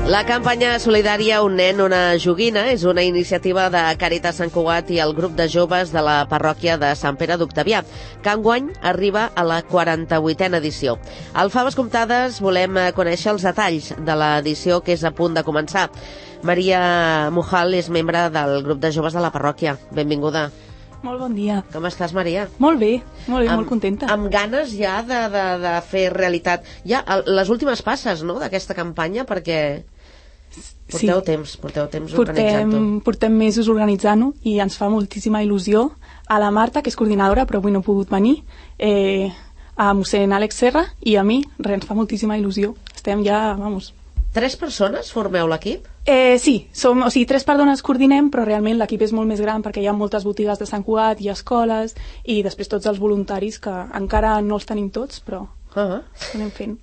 La campanya solidària Un nen, una joguina és una iniciativa de Càritas Sant Cugat i el grup de joves de la parròquia de Sant Pere d'Octavià, que enguany arriba a la 48a edició. Al Faves Comptades volem conèixer els detalls de l'edició que és a punt de començar. Maria Mujal és membre del grup de joves de la parròquia. Benvinguda. Molt bon dia. Com estàs, Maria? Molt bé, molt contenta. Amb ganes ja de fer realitat ja les últimes passes, no?, d'aquesta campanya, perquè porteu temps organitzant-ho. Portem mesos organitzant-ho i ens fa moltíssima il·lusió. A la Marta, que és coordinadora, però avui no ha pogut venir, a mossèn Àlex Serra i a mi, ens fa moltíssima il·lusió. Estem ja, vamos... 3 persones formeu l'equip? Sí, 3 persones coordinem, però realment l'equip és molt més gran perquè hi ha moltes botigues de Sant Cugat i escoles i després tots els voluntaris que encara no els tenim tots, però anem fent.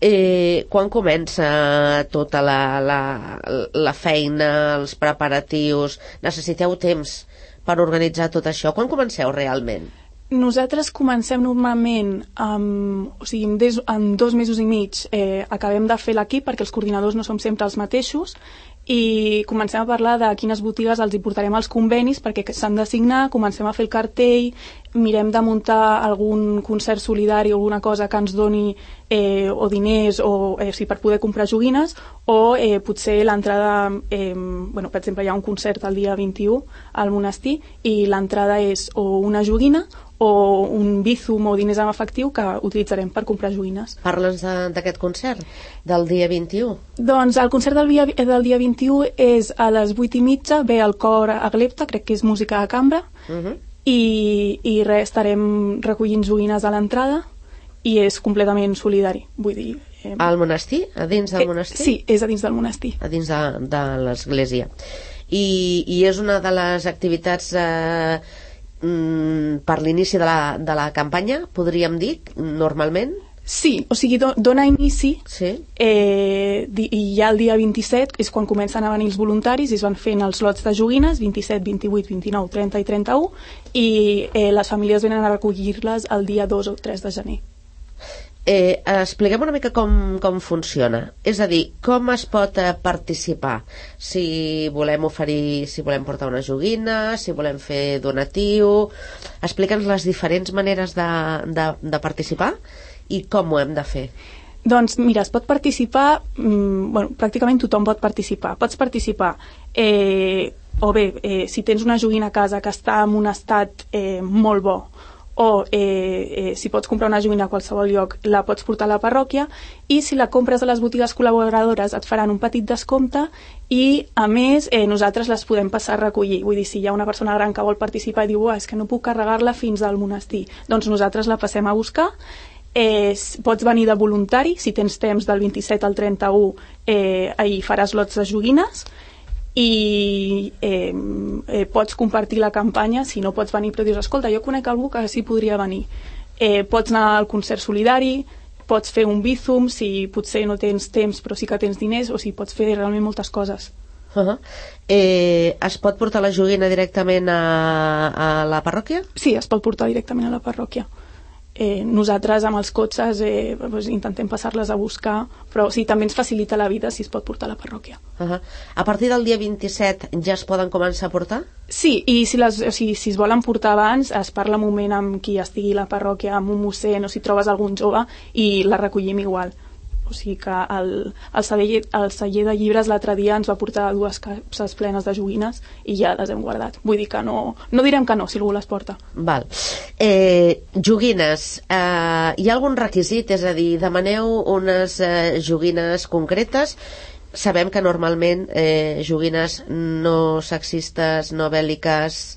Quan comença tota la feina, els preparatius? Necessiteu temps per organitzar tot això? Quan comenceu realment? Nosaltres comencem normalment en 2 mesos i mig acabem de fer l'equip perquè els coordinadors no som sempre els mateixos i comencem a parlar de quines botigues els hi portarem als convenis perquè s'han de signar, comencem a fer el cartell, mirem de muntar algun concert solidari o alguna cosa que ens doni o diners o per poder comprar joguines o potser l'entrada, per exemple hi ha un concert el dia 21 al monestir i l'entrada és o una joguina o un bízum o diners en efectiu que utilitzarem per comprar joguines. Parla'ns d'aquest concert, del dia 21. Doncs el concert del dia 21 és a les 8:30, ve el cor a Glepta, crec que és música de cambra, i estarem recollint joguines a l'entrada i és completament solidari. Vull dir... Al monestir? A dins del monestir? Sí, és a dins del monestir. A dins de l'església. I és una de les activitats... per l'inici de la campanya, podríem dir, normalment? Sí, o sigui, dona inici i ja el dia 27 és quan comencen a venir els voluntaris i es van fent els lots de joguines, 27, 28, 29, 30 i 31 i les famílies venen a recollir-les el dia 2 o 3 de gener. Expliquem una mica com funciona, és a dir, com es pot participar, si volem portar una joguina, si volem fer donatiu. Explica'ns les diferents maneres de participar i com ho hem de fer. Doncs mira, es pot participar, pràcticament tothom pot participar. Pots participar o bé, si tens una joguina a casa que està en un estat molt bo, o si pots comprar una joguina a qualsevol lloc la pots portar a la parròquia i si la compres a les botigues col·laboradores et faran un petit descompte i a més nosaltres les podem passar a recollir. Vull dir, si hi ha una persona gran que vol participar i diu és que no puc carregar-la fins al monestir, doncs nosaltres la passem a buscar. Pots venir de voluntari, si tens temps del 27 al 31 ahir faràs lots de joguines i pots compartir la campanya. Si no pots venir però dius, escolta, jo conec algú que sí podria venir, pots anar al concert solidari, pots fer un bízum si potser no tens temps però sí que tens diners, o sigui, pots fer realment moltes coses. Es pot portar la joguina directament a la parròquia? Sí, es pot portar directament a la parròquia. Nosaltres amb els cotxes intentem passar-les a buscar, però sí, també ens facilita la vida si es pot portar a la parròquia. A partir del dia 27 ja es poden començar a portar? Sí, i si es volen portar abans es parla un moment amb qui estigui a la parròquia, amb un mossèn o si trobes algun jove i la recollim igual. O sigui que el celler de llibres l'altre dia ens va portar 2 capses plenes de joguines i ja les hem guardat. Vull dir que no direm que no si algú les porta. Val. Joguines, hi ha algun requisit? És a dir, demaneu unes joguines concretes. Sabem que normalment joguines no sexistes, no bèl·liques,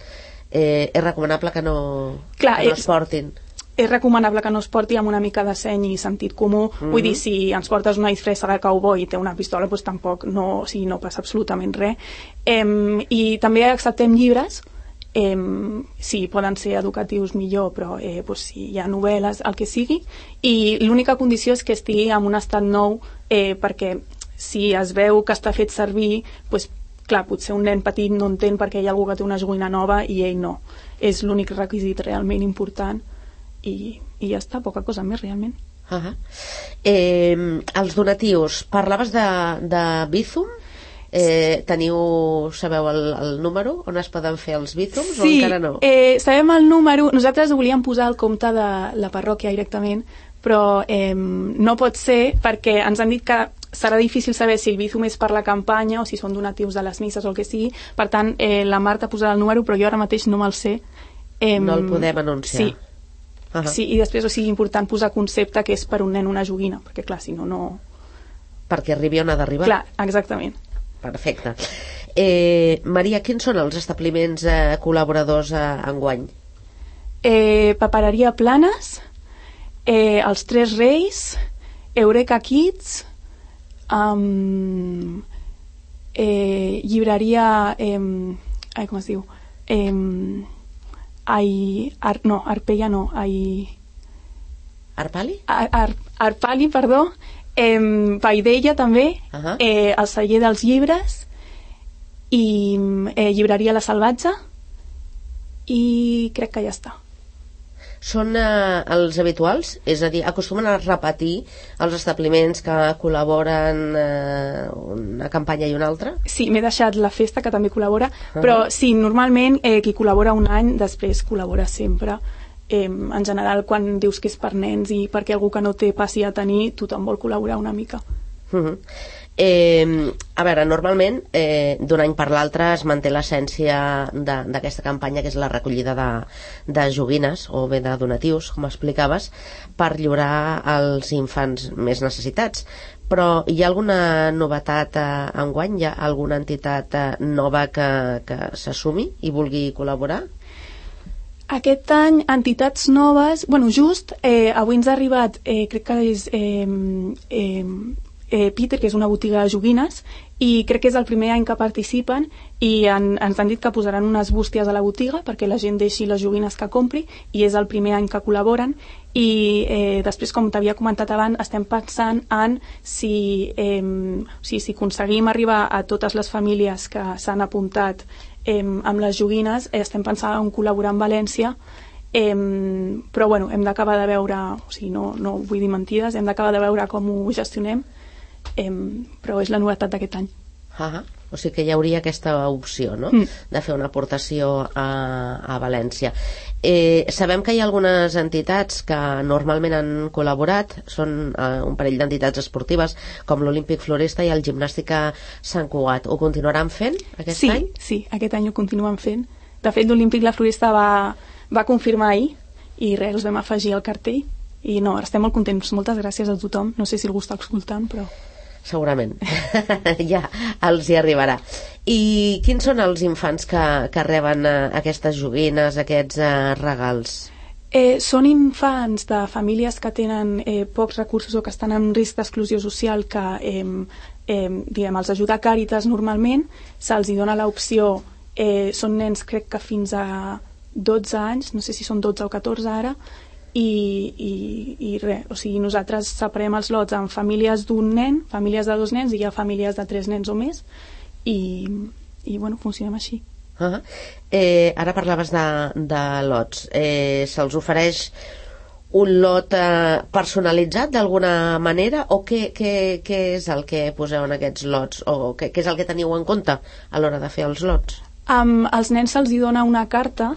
és recomanable que no es portin. És recomanable que no es porti amb una mica de seny i sentit comú. Vull dir, si ens portes una disfressa de cowboy i té una pistola, doncs tampoc no passa absolutament res. I també acceptem llibres, sí, poden ser educatius millor, però si hi ha novel·les, el que sigui, i l'única condició és que estigui en un estat nou, perquè si es veu que està fet servir, clar, potser un nen petit no entén perquè hi ha algú que té una joguina nova i ell no. És l'únic requisit realment important. I ja està, poca cosa més realment. Els donatius, parlaves de Bizum? Sabeu el número on es poden fer els bízums o Sí, encara no? sabem el número. Nosaltres ho volíem posar al compte de la parròquia directament, però no pot ser perquè ens han dit que serà difícil saber si el bízum és per la campanya o si són donatius de les misses o el que sigui. Per tant, la Marta posarà el número, però jo ara mateix no me'l sé. No el podem anunciar. Sí. Sí, i després, o sigui, important posar concepte que és per un nen una joguina, perquè clar, si no... Perquè arribi on ha d'arribar. Clar, exactament. Perfecte. Maria, quins són els establiments col·laboradors enguany? Papereria Planes, els Tres Reis, Eureka Kids, llibreria... com es diu? Arpella no. Arpali? Arpali, perdó. Paidella també, el celler dels llibres i llibreria La Salvatge i crec que ja està. Són els habituals? És a dir, acostumen a repetir els establiments que col·laboren una campanya i una altra? Sí, m'he deixat la festa, que també col·labora, però sí, normalment qui col·labora un any després col·labora sempre. En general, quan dius que és per nens i perquè algú que no té passi a tenir, tothom vol col·laborar una mica. A veure, normalment d'un any per l'altre es manté l'essència d'aquesta campanya, que és la recollida de joguines o bé de donatius, com explicaves, per lliurar als infants més necessitats. Però hi ha alguna novetat enguany? Hi ha alguna entitat nova que s'assumi i vulgui col·laborar? Aquest any, entitats noves... Bueno, just avui ens ha arribat, crec que és Peter, que és una botiga de joguines, i crec que és el primer any que participen i ens han dit que posaran unes bústies a la botiga perquè la gent deixi les joguines que compri, i és el primer any que col·laboren. I després, com t'havia comentat abans, estem pensant en si aconseguim arribar a totes les famílies que s'han apuntat amb les joguines, estem pensant en col·laborar amb València, però bueno, hem d'acabar de veure, o sigui, no vull dir mentides, hem d'acabar de veure com ho gestionem, però és la novetat d'aquest any. O sigui que hi hauria aquesta opció, no? De fer una aportació a València. Sabem que hi ha algunes entitats que normalment han col·laborat, són un parell d'entitats esportives com l'Olímpic Floresta i el Gimnàstica Sant Cugat. Ho continuaran fent aquest any? Sí, aquest any ho continuen fent. De fet, l'Olímpic La Floresta va confirmar ahir i res, els vam afegir al cartell i no, estem molt contents. Moltes gràcies a tothom. No sé si algú està escoltant, però... Segurament. Ja els hi arribarà. I quins són els infants que reben aquestes joguines, aquests regals? Són infants de famílies que tenen pocs recursos o que estan en risc d'exclusió social, que els ajuda Càritas normalment, se'ls dona l'opció, són nens crec que fins a 12 anys, no sé si són 12 o 14 ara, i res, o sigui, nosaltres separem els lots en famílies d'un nen, famílies de 2 nens, i hi ha famílies de 3 nens o més, i bueno, funcionem així. Ara parlaves de lots. Se'ls ofereix un lot personalitzat d'alguna manera, o què és el que poseu en aquests lots, o què és el que teniu en compte a l'hora de fer els lots? Als nens se'ls dona una carta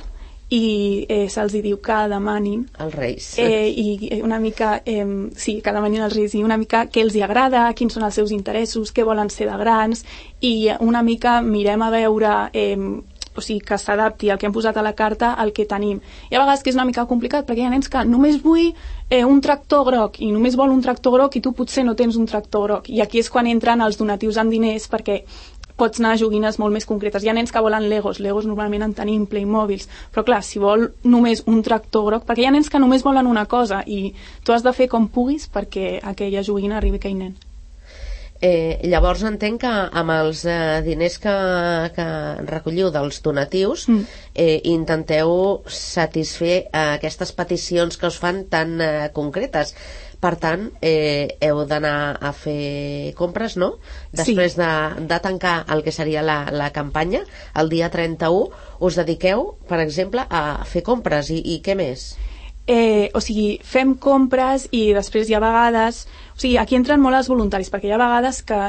i se'ls diu que demanin els Reis i una mica que demanin els Reis i una mica què els hi agrada, quins són els seus interessos, què volen ser de grans, i una mica mirem a veure o sigui, que s'adapti el que hem posat a la carta al que tenim. I a vegades que és una mica complicat perquè hi ha nens que només vull un tractor groc i només vol un tractor groc i tu potser no tens un tractor groc, i aquí és quan entren els donatius amb diners, perquè pots anar a joguines molt més concretes. Hi ha nens que volen Legos normalment en tenim, Playmobils, però clar, si vol només un tractor groc, perquè hi ha nens que només volen una cosa i tu has de fer com puguis perquè aquella joguina arribi a aquell nen. Llavors entenc que amb els diners que recolliu dels donatius intenteu satisfer aquestes peticions que us fan tan concretes. Per tant, heu d'anar a fer compres, no? Després de tancar el que seria la campanya, el dia 31, us dediqueu, per exemple, a fer compres. I què més? O sigui, fem compres i després hi ha vegades... O sigui, aquí entren molt els voluntaris, perquè hi ha vegades que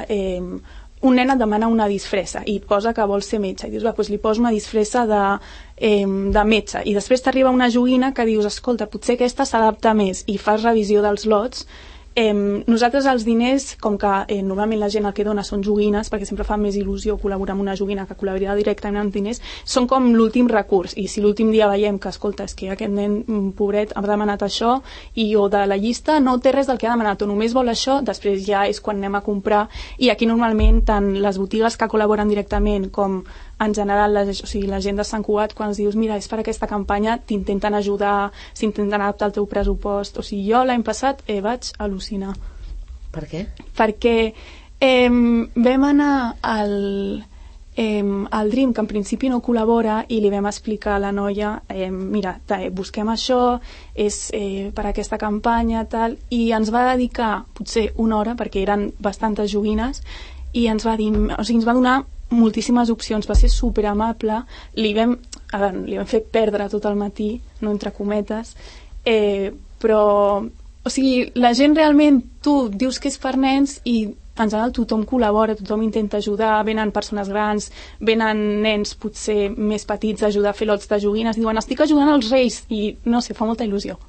un nen et demana una disfressa i et posa que vol ser metge i dius, va, doncs li poso una disfressa de metge, i després t'arriba una joguina que dius, escolta, potser aquesta s'adapta més, i fas revisió dels lots. Nosaltres els diners, com que normalment la gent el que dona són joguines, perquè sempre fa més il·lusió col·laborar amb una joguina que col·laborar directament amb diners, són com l'últim recurs, i si l'últim dia veiem que, escolta, és que aquest nen pobret ha demanat això, o de la llista no té res del que ha demanat, o només vol això, després ja és quan anem a comprar, i aquí normalment tant les botigues que col·laboren directament com en general la gent de Sant Cugat, quan els dius, mira, és per aquesta campanya, t'intenten ajudar, s'intenten adaptar al teu pressupost. O sigui, jo l'any passat vaig al·lucinar. Per què? Perquè vam anar al Dream, que en principi no col·labora, i li vam explicar a la noia, mira, busquem això, és per aquesta campanya, tal, i ens va dedicar potser una hora, perquè eren bastantes joguines, i ens va dir, o sigui, ens va donar moltíssimes opcions, va ser superamable, li vam fer perdre tot el matí, no entre cometes, però, o sigui, la gent realment, tu dius que és per nens i en general tothom col·labora, tothom intenta ajudar, venen persones grans, venen nens potser més petits a ajudar a fer lots de joguines, diuen, estic ajudant els reis, i no sé, fa molta il·lusió.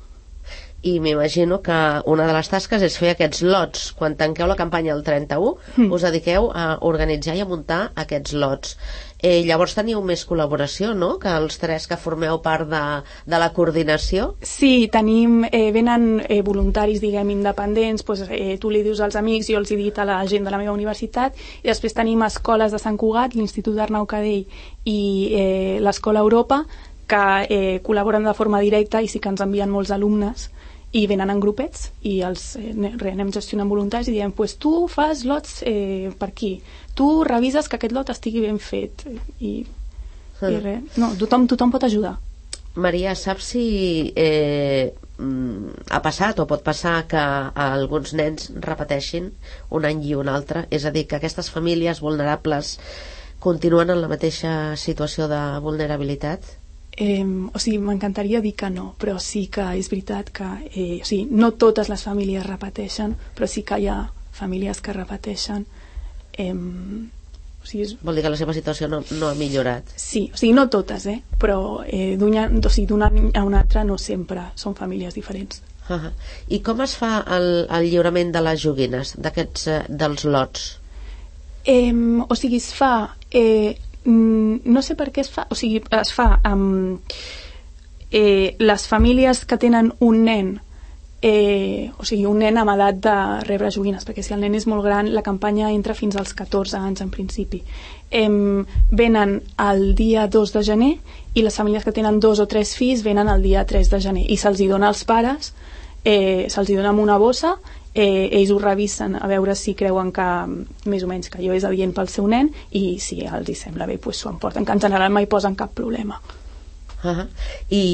I m'imagino que una de les tasques és fer aquests lots. Quan tanqueu la campanya el 31, us dediqueu a organitzar i a muntar aquests lots. Llavors teniu més col·laboració, no?, que els tres que formeu part de la coordinació? Sí, tenim, venen voluntaris, diguem, independents, doncs, tu li dius als amics, jo els he dit a la gent de la meva universitat, i després tenim escoles de Sant Cugat, l'Institut d'Arnau Cadell i l'Escola Europa, que col·laboren de forma directa i sí que ens envien molts alumnes, i venen en grupets i els anem gestionant voluntaris i diem, pues tu fas lots per aquí, tu revises que aquest lot estigui ben fet, i res. No, tothom pot ajudar. Maria, saps si ha passat o pot passar que alguns nens repeteixin un any i un altre? És a dir, que aquestes famílies vulnerables continuen en la mateixa situació de vulnerabilitat? O sigui, m'encantaria dir que no, però sí que és veritat que o sigui, no totes les famílies repeteixen, però sí que hi ha famílies que repeteixen. O sigui, vol dir que la seva situació no ha millorat? Sí, o sigui, no totes, però d'un any a un altre no sempre, són famílies diferents. I com es fa el lliurament de les joguines, dels lots? O sigui, es fa... no sé per què es fa, o sigui, es fa amb les famílies que tenen un nen, o sigui, un nen amb edat de rebre joguines, perquè si el nen és molt gran, la campanya entra fins als 14 anys en principi. Venen el dia 2 de gener i les famílies que tenen 2 o 3 fills venen el dia 3 de gener i se'ls hi dona als pares, se'ls hi dona amb una bossa, ells ho revisen a veure si creuen que més o menys que allò és adient pel seu nen, i si els hi sembla bé doncs s'ho emporten, que en general mai posen cap problema. I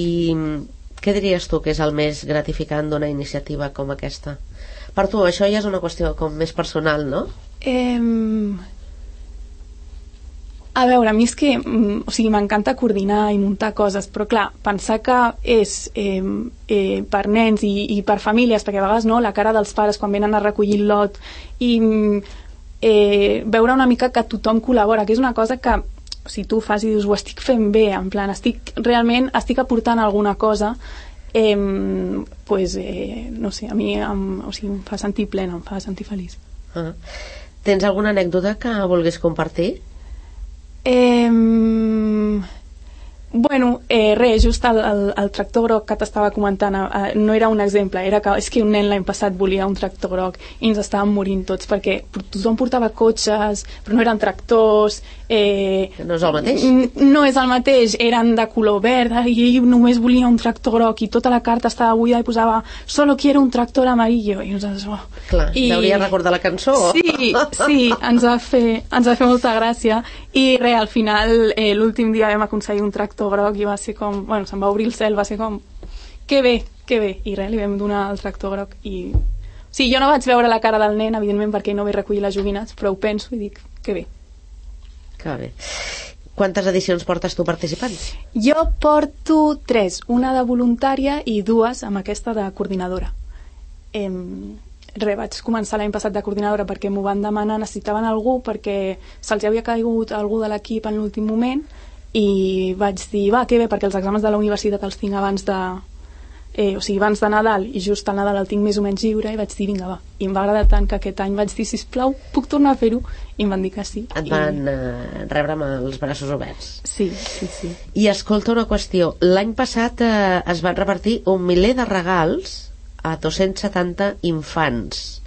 què diries tu que és el més gratificant d'una iniciativa com aquesta? Per tu això ja és una qüestió com més personal, no? A veure, a mi és que o sigui, m'encanta coordinar i muntar coses, però clar, pensar que és per nens i per famílies, perquè a vegades no, la cara dels pares quan venen a recollir el lot, i veure una mica que tothom col·labora, que és una cosa que si tu fas i dius, ho estic fent bé, en plan, realment estic aportant alguna cosa, pues, no sé, a mi o sigui, em fa sentir plena, em fa sentir feliç. Tens alguna anècdota que vulguis compartir? Bueno, res, just el tractor groc que t'estava comentant no era un exemple, era que és que un nen l'any passat volia un tractor groc i ens estàvem morint tots perquè tothom portava cotxes, però no eren tractors. No és el mateix? No és el mateix, eren de color verd i ell només volia un tractor groc i tota la carta estava buida i posava solo quiero un tractor amarillo i nosaltres... Clar, deuria recordar la cançó. Sí, ens va fer molta gràcia i res, al final l'últim dia vam aconseguir un tractor groc i va ser com, bueno, se'm va obrir el cel, va ser com que bé, i res, li vam donar el tractor groc i... Sí, jo no vaig veure la cara del nen, evidentment, perquè no vaig recollir les joguines, però ho penso i dic, que bé. Que bé. Quantes edicions portes tu participant? Jo porto 3, una de voluntària i 2 amb aquesta de coordinadora. vaig començar l'any passat de coordinadora perquè m'ho van demanar, necessitaven algú perquè se'ls havia caigut algú de l'equip en l'últim moment i vaig dir, va, que bé, perquè els exàmens de la universitat els tinc abans abans de Nadal i just al Nadal el tinc més o menys lliure i vaig dir, vinga, va. I em va agradar tant que aquest any vaig dir, sisplau, puc tornar a fer-ho? I em van dir que sí. Et van rebre amb els braços oberts. Sí. I escolta una qüestió, l'any passat es van repartir 1 miler de regals a 270 infants.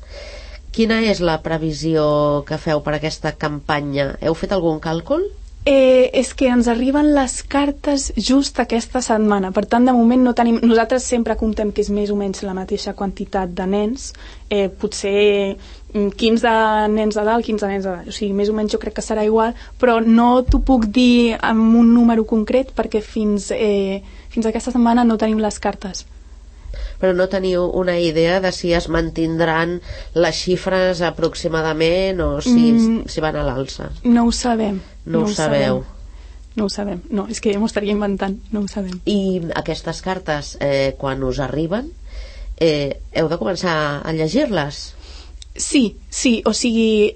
Quina és la previsió que feu per aquesta campanya? Heu fet algun càlcul? És que ens arriben les cartes just aquesta setmana, per tant de moment no tenim, nosaltres sempre comptem que és més o menys la mateixa quantitat de nens, potser 15 nens a dalt, 15 nens a dalt, o sigui, més o menys jo crec que serà igual, però no t'ho puc dir amb un número concret perquè fins aquesta setmana no tenim les cartes. Però no teniu una idea de si es mantindran les xifres aproximadament o si van a l'alça? No ho sabem. No ho sabeu? No ho sabem. No, és que m'ho estaria inventant. No ho sabem. I aquestes cartes, quan us arriben, heu de començar a llegir-les? Sí, o sigui,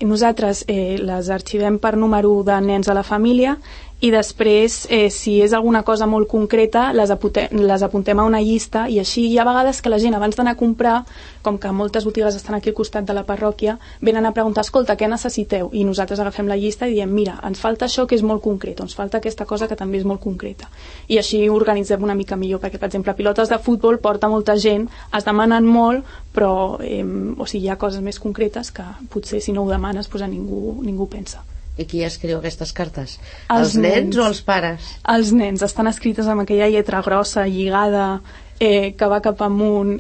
nosaltres les arxivem per número de nens a la família i després, si és alguna cosa molt concreta, les apuntem a una llista i així hi ha vegades que la gent, abans d'anar a comprar, com que moltes botigues estan aquí al costat de la parròquia, venen a preguntar, escolta, què necessiteu? I nosaltres agafem la llista i diem, mira, ens falta això que és molt concret, ens falta aquesta cosa que també és molt concreta. I així organitzem una mica millor, perquè, per exemple, pilotes de futbol porta molta gent, es demanen molt, però hi ha coses més concretes que potser si no ho demanes ningú pensa. I qui escriu aquestes cartes? Els nens o els pares? Els nens, estan escrites amb aquella lletra grossa, lligada, que va cap amunt,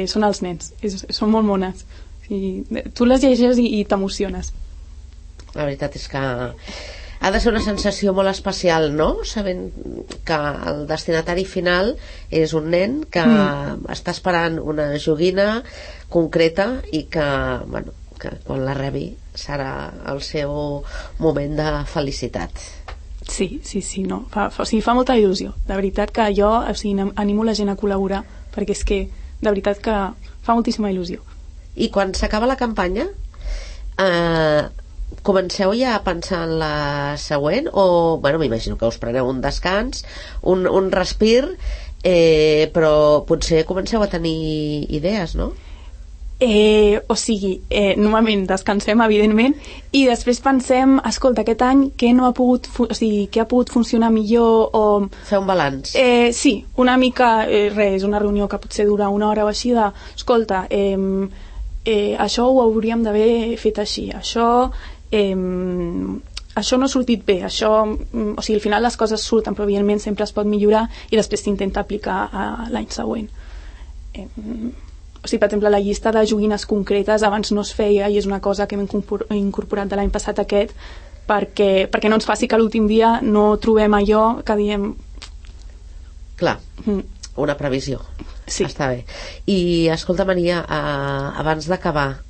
són els nens, són molt mones. Tu les llegeixes i t'emociones. La veritat és que ha de ser una sensació molt especial, no? Sabent que el destinatari final és un nen que està esperant una joguina concreta i que quan la rebi serà el seu moment de felicitat. Sí, no. Fa molta il·lusió. De veritat que jo animo la gent a col·laborar perquè és que, de veritat que fa moltíssima il·lusió. I quan s'acaba la campanya comenceu ja a pensar en la següent o, m'imagino que us preneu un descans, un respir, però potser comenceu a tenir idees, no? Normalment descansem, evidentment, i després pensem, escolta, aquest any què ha pogut funcionar millor o... Fer un balanç. Sí, una mica, és una reunió que potser dura una hora o així de, escolta, això ho hauríem d'haver fet així, això no ha sortit bé, al final les coses surten, però evidentment sempre es pot millorar i després s'intenta aplicar a l'any següent. Per exemple, la llista de joguines concretes abans no es feia i és una cosa que hem incorporat de l'any passat aquest perquè no ens faci que l'últim dia no trobem allò que diem... Clar, una previsió. Sí. Està bé. I escolta, Maria, abans d'acabar,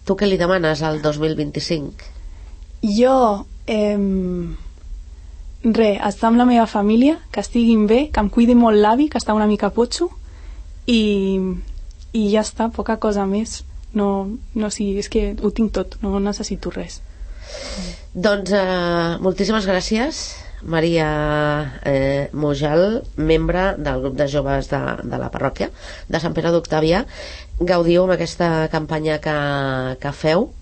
tu què li demanes al 2025? Jo estar amb la meva família, que estiguin bé, que em cuidi molt l'avi, que està una mica potxo i ja està, poca cosa més. És que ho tinc tot, no necessito res. Doncs moltíssimes gràcies, Maria Mujal, membre del grup de joves de la parròquia de Sant Pere d'Octavià. Gaudiu amb aquesta campanya que feu,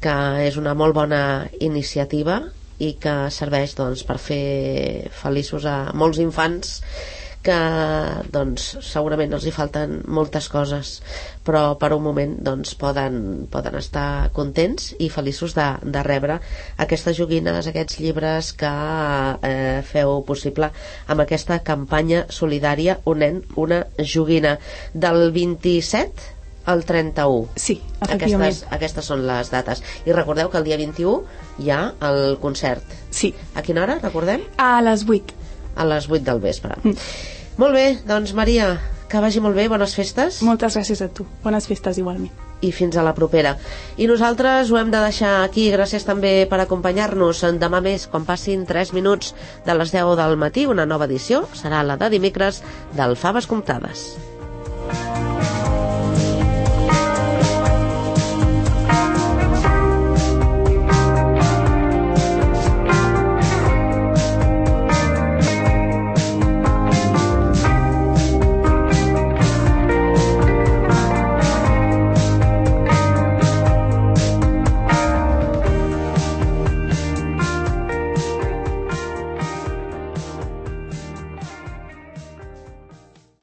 que és una molt bona iniciativa i que serveix per fer feliços a molts infants que segurament els hi falten moltes coses, però per un moment poden estar contents i feliços de rebre aquestes joguines, aquests llibres que feu possible amb aquesta campanya solidària Un nen, una joguina, del 27 al 31. Sí, efectivament. Aquestes són les dates. I recordeu que el dia 21 hi ha el concert. Sí. A quina hora, recordem? A les 8. A les 8 del vespre. Molt bé, doncs Maria, que vagi molt bé, bones festes. Moltes gràcies a tu, bones festes igualment. I fins a la propera. I nosaltres ho hem de deixar aquí, gràcies també per acompanyar-nos. Demà més, quan passin 3 minuts de les 10 del matí, una nova edició, serà la de dimecres del Faves Comptades.